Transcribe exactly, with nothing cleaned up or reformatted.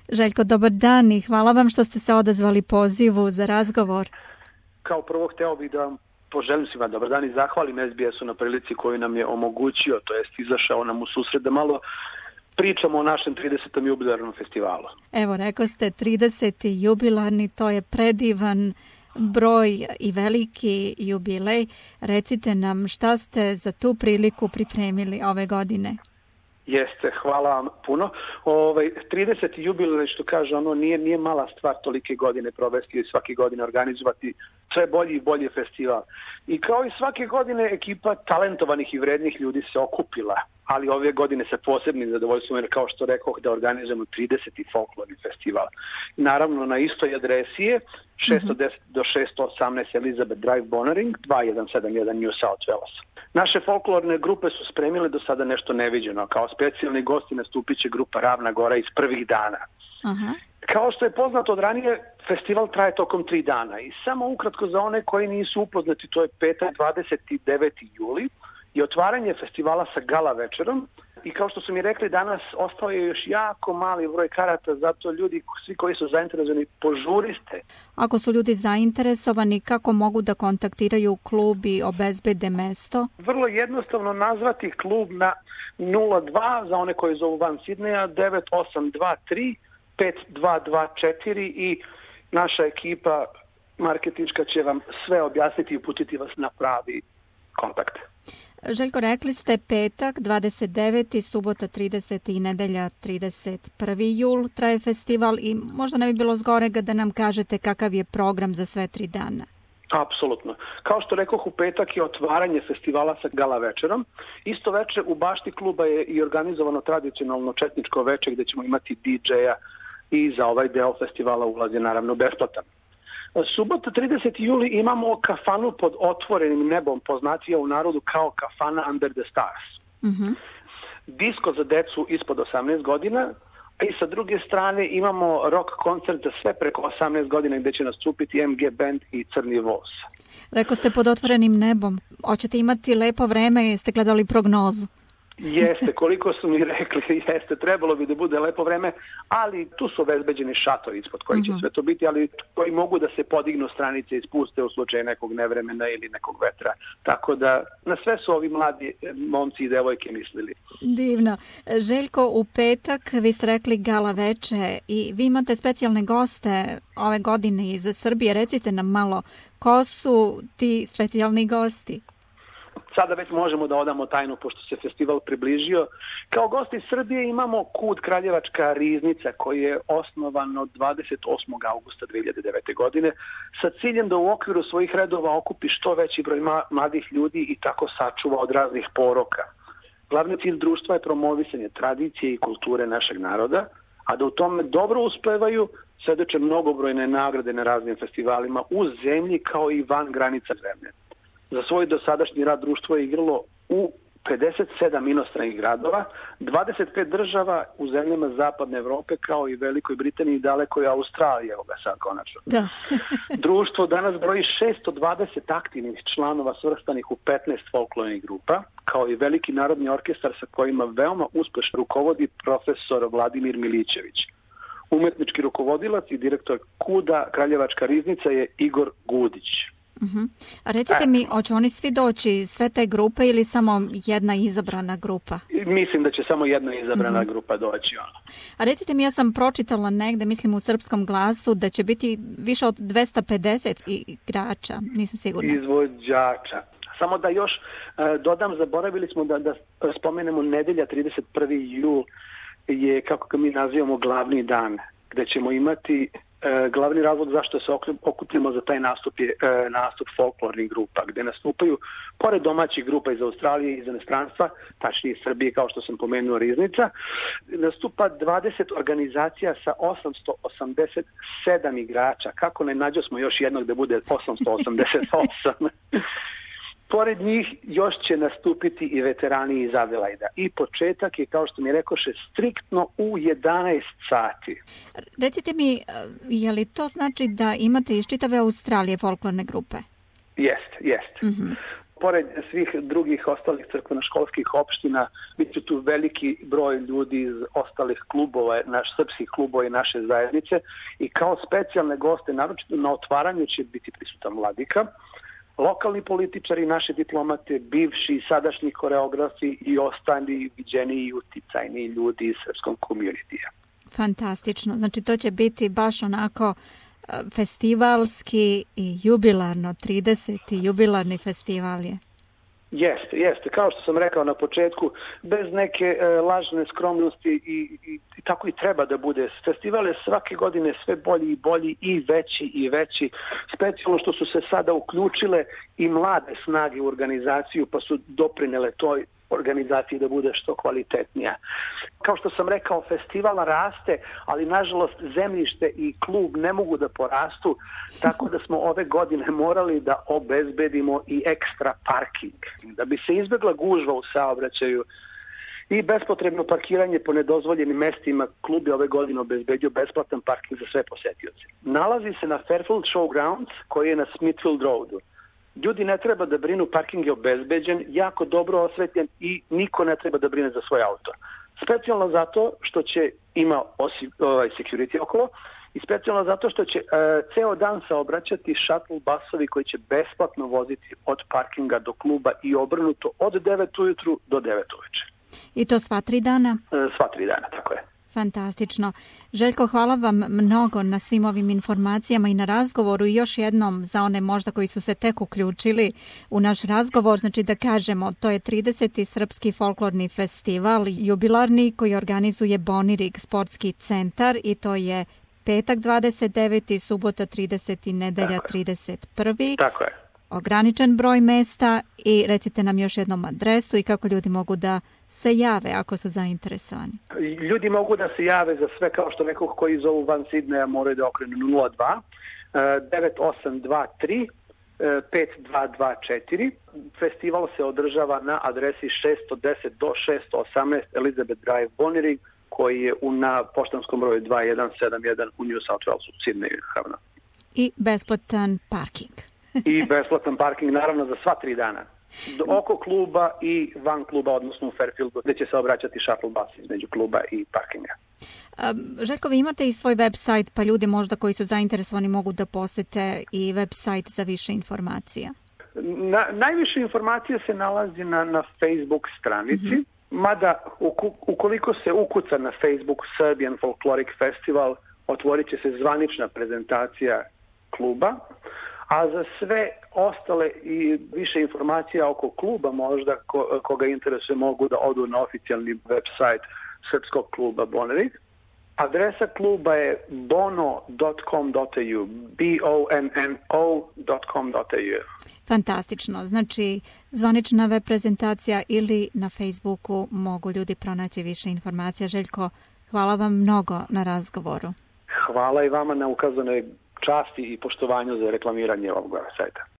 Željko, dobar dan i hvala vam što ste se odazvali pozivu za razgovor. Kao prvo hteo bih da vam poželim svima dobar dan i zahvalim es be esu na prilici koju nam je omogućio, to jest izašao nam u susret da malo pričamo o našem tridesetom jubilarnom festivalu. Evo, rekao ste trideseti jubilarni, to je predivan broj i veliki jubilej. Recite nam šta ste za tu priliku pripremili ove godine. Jeste, hvala vam puno. Ovaj, trideseti jubilej, što kaže, ono nije, nije mala stvar tolike godine provesti i svake godine organizovati sve bolji i bolji festival. I kao i svake godine ekipa talentovanih i vrednih ljudi se okupila, ali ove godine sa posebnim zadovoljstvom, jer kao što rekoh da organizujemo trideseti folklorni festival. Naravno na istoj adresi je šesto deset do šesto osamnaest Elizabeth Drive, Bonnering, dva jedan sedam jedan New South Wales. Naše folklorne grupe su spremile do sada nešto neviđeno. Kao specijalni gosti nastupit će grupa Ravna Gora iz prvih dana. Aha. Kao što je poznato od ranije, festival traje tokom tri dana i samo ukratko za one koji nisu upoznati, to je petak dvadeset deveti juli i otvaranje festivala sa gala večerom. I kao što su mi rekli danas, ostao je još jako mali broj karata, zato ljudi, svi koji su zainteresovani, požuriste. Ako su ljudi zainteresovani, kako mogu da kontaktiraju klub i obezbede mesto? Vrlo jednostavno nazvati klub na nula dva za one koji zovu van Sidneja, devet osam dva tri pet dva dva četiri i naša ekipa marketinška će vam sve objasniti i uputiti vas na pravi kontakt. Željko, rekli ste petak dvadeset deveti subota trideseti i nedelja trideset prvi jul traje festival i možda ne bi bilo zgorega da nam kažete kakav je program za sve tri dana. Apsolutno. Kao što rekoh, u petak je otvaranje festivala sa gala večerom. Isto veče u bašti kluba je i organizovano tradicionalno četničko veče gde ćemo imati di džeja i za ovaj deo festivala ulaz je naravno besplatan. Subota trideseti juli imamo kafanu pod otvorenim nebom, poznatija u narodu kao kafana Under the Stars. Mm-hmm. Disko za decu ispod osamnaest godina, a i sa druge strane imamo rock koncert za sve preko osamnaest godina gde će nastupiti em ge Band i Crni voz. Rekao ste pod otvorenim nebom. Hoćete imati lepo vreme, jeste gledali prognozu? Jeste, koliko su mi rekli, jeste, trebalo bi da bude lepo vreme, ali tu su obezbeđeni šatori ispod koji će uh-huh. sve to biti, ali koji mogu da se podignu stranice i spuste u slučaju nekog nevremena ili nekog vetra. Tako da na sve su ovi mladi momci i devojke mislili. Divno. Željko, u petak vi ste rekli gala veče i vi imate specijalne goste ove godine iz Srbije. Recite nam malo, ko su ti specijalni gosti? Sada već možemo da odamo tajnu, pošto se festival približio. Kao gosti iz Srbije imamo Kud Kraljevačka riznica, koji je osnovan od dvadeset osmog avgusta dve hiljade devete. godine sa ciljem da u okviru svojih redova okupi što veći broj mladih ljudi i tako sačuva od raznih poroka. Glavni cilj društva je promovisanje tradicije i kulture našeg naroda, a da u tome dobro uspevaju svedoče mnogobrojne nagrade na raznim festivalima u zemlji kao i van granica zemlje. Za svoj dosadašnji rad društvo je igralo u pedeset sedam inostranih gradova, dvadeset pet država u zemljama Zapadne Evrope, kao i Velikoj Britaniji i dalekoj Australiji, evo ga sad konačno. Da. Društvo danas broji šesto dvadeset aktivnih članova svrstanih u petnaest folklornih grupa, kao i veliki narodni orkestar sa kojima veoma uspešno rukovodi profesor Vladimir Milićević. Umetnički rukovodilac i direktor Kuda Kraljevačka riznica je Igor Gudić. Uh-huh. A recite e. mi, hoće oni svi doći, sve te grupe ili samo jedna izabrana grupa? Mislim da će samo jedna izabrana uh-huh. grupa doći. Ono. A recite mi, ja sam pročitala negde, mislim u Srpskom glasu, da će biti više od dvesta pedeset igrača, nisam sigurna. Izvođača. Samo da još uh, dodam, zaboravili smo da, da spomenemo nedelja trideset prvi jul je, kako ga mi nazivamo, glavni dan, gde ćemo imati E, glavni razlog zašto se okupimo za taj nastup je e, nastup folklornih grupa, gde nastupaju, pored domaćih grupa iz Australije i iz inostranstva, tačnije iz Srbije, kao što sam pomenuo, Riznica, nastupa dvadeset organizacija sa osamsto osamdeset sedam igrača. Kako ne nađo smo još jednog da bude osamsto osamdeset osam? Pored njih još će nastupiti i veterani iz Adelajda. I početak je, kao što mi rekoše, striktno u jedanaest sati. Recite mi, je li to znači da imate iz čitave Australije folklorne grupe? Jest, jest. Mm-hmm. Pored svih drugih ostalih crkveno-školskih opština, bit će tu veliki broj ljudi iz ostalih klubova, naš srpskih klubova i naše zajednice i kao specijalne goste, naročito na otvaranju će biti prisutan vladika, lokalni političari, naše diplomate, bivši i sadašnji koreografi i ostali viđeni i uticajni ljudi iz srpskog komunitija. Fantastično. Znači to će biti baš onako festivalski i jubilarno, trideseti jubilarni festival je. Jeste, jeste. Kao što sam rekao na početku, bez neke e, lažne skromnosti i, i, i tako i treba da bude. Festival je svake godine sve bolji i bolji i veći i veći. Specijalno što su se sada uključile i mlade snage u organizaciju pa su doprinele toj organizaciji da bude što kvalitetnija. Kao što sam rekao, festival raste, ali nažalost zemljište i klub ne mogu da porastu, tako da smo ove godine morali da obezbedimo i ekstra parking. Da bi se izbjegla gužva u saobraćaju i bespotrebno parkiranje po nedozvoljenim mestima, klub je ove godine obezbedio besplatan parking za sve posetioce. Nalazi se na Fairfield Showgrounds, koji je na Smithfield Roadu. Ljudi ne treba da brinu, parking je obezbeđen, jako dobro osvetljen i niko ne treba da brine za svoj auto. Specijalno zato što će ima osi, ovaj, security okolo i specijalno zato što će e, ceo dan saobraćati shuttle basovi koji će besplatno voziti od parkinga do kluba i obrnuto od devet ujutru do devet uveče. I to sva tri dana? E, sva tri dana, tako je. Fantastično. Željko, hvala vam mnogo na svim ovim informacijama i na razgovoru i još jednom za one možda koji su se tek uključili u naš razgovor, znači da kažemo, to je trideseti Srpski folklorni festival, jubilarni koji organizuje Bonirig sportski centar i to je petak dvadeset deveti, subota trideseti, nedelja trideset prvi Tako je. Ograničen broj mesta i recite nam još jednom adresu i kako ljudi mogu da se jave ako su zainteresovani. Ljudi mogu da se jave za sve, kao što nekog koji zovu van Sidneja moraju da okrenu nula dva devet osam dva tri pet dva dva četiri. Festival se održava na adresi šesto deset do šesto osamnaest Elizabeth Drive, Bonirig, koji je u, na poštanskom broju dva jedan sedam jedan u New South Walesu, Sidneju, naravno. I besplatan parking. I besplatan parking, naravno, za sva tri dana. Oko kluba i van kluba, odnosno u Fairfieldu, gde će se obraćati shuttle bus između kluba i parkinga. Um, Željko, vi imate i svoj website, pa ljudi možda koji su zainteresovani mogu da posete i website za više informacija. Na, najviše informacija se nalazi na, na Facebook stranici, mm-hmm. mada ukoliko se ukuca na Facebook Serbian Folkloric Festival, otvorit će se zvanična prezentacija kluba, a za sve ostale i više informacija oko kluba možda ko, koga interesuje mogu da odu na oficijalni website Srpskog kluba Bonirig. Adresa kluba je bono dot com dot a u, b o n n o dot com dot a u. Fantastično. Znači, zvanična web prezentacija ili na Facebooku mogu ljudi pronaći više informacija. Željko, hvala vam mnogo na razgovoru. Hvala i vama na ukazanoj časti i poštovanju za reklamiranje ovog sajta.